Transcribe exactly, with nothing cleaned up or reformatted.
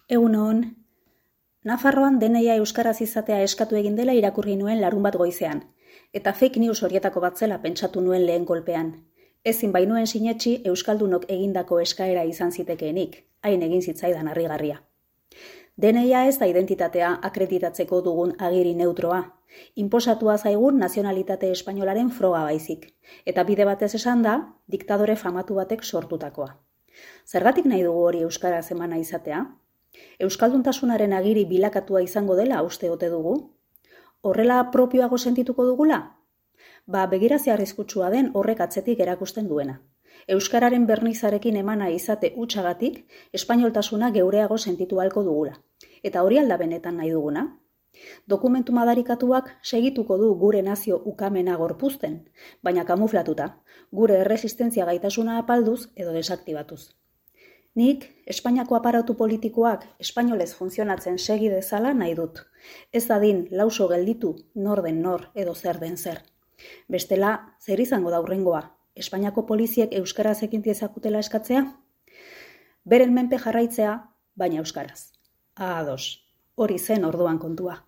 Egun hon, Nafarroan deneia euskaraz izatea eskatu egin dela irakurri nuen larun bat goizean, eta fake news horietako bat zela pentsatu nuen lehen kolpean. Ezin bainuen sinetsi euskaldunok egindako eskaera izan zitekeenik, hain egin zitzaidan harrigarria. Deneia ez da identitatea akreditatzeko dugun agiri neutroa, inposatua zaigun nazionalitate espainolaren froga baizik, eta bide batez esan da, diktadore famatu batek sortutakoa. Zergatik nahi dugu hori euskaraz emana izatea? Euskalduntasunaren agiri bilakatua izango dela uste ote dugu? Horrela propioago sentituko dugula? Ba, begirazia arriskutsua den horrek atzetik erakusten duena. Euskararen bernizarekin emana izate hutsagatik, espainoltasuna geureago sentitu ahalko dugula. Eta hori alda benetan nahi duguna? Dokumentu madarikatuak segituko du gure nazio ukamena gorpuzten, baina kamuflatuta, gure erresistentzia gaitasuna apalduz edo desaktibatuz. Nik, Espainiako aparatu politikoak espainolez funtzionatzen segi dezala nahi dut. Ez dadin lauso gelditu nor den nor edo zer den zer. Bestela, zer izango da hurrengoa? Espainiako poliziek euskaraz ekin diezakutela eskatzea? Beren menpe jarraitzea, baina euskaraz. Ados, hori zen orduan kontua.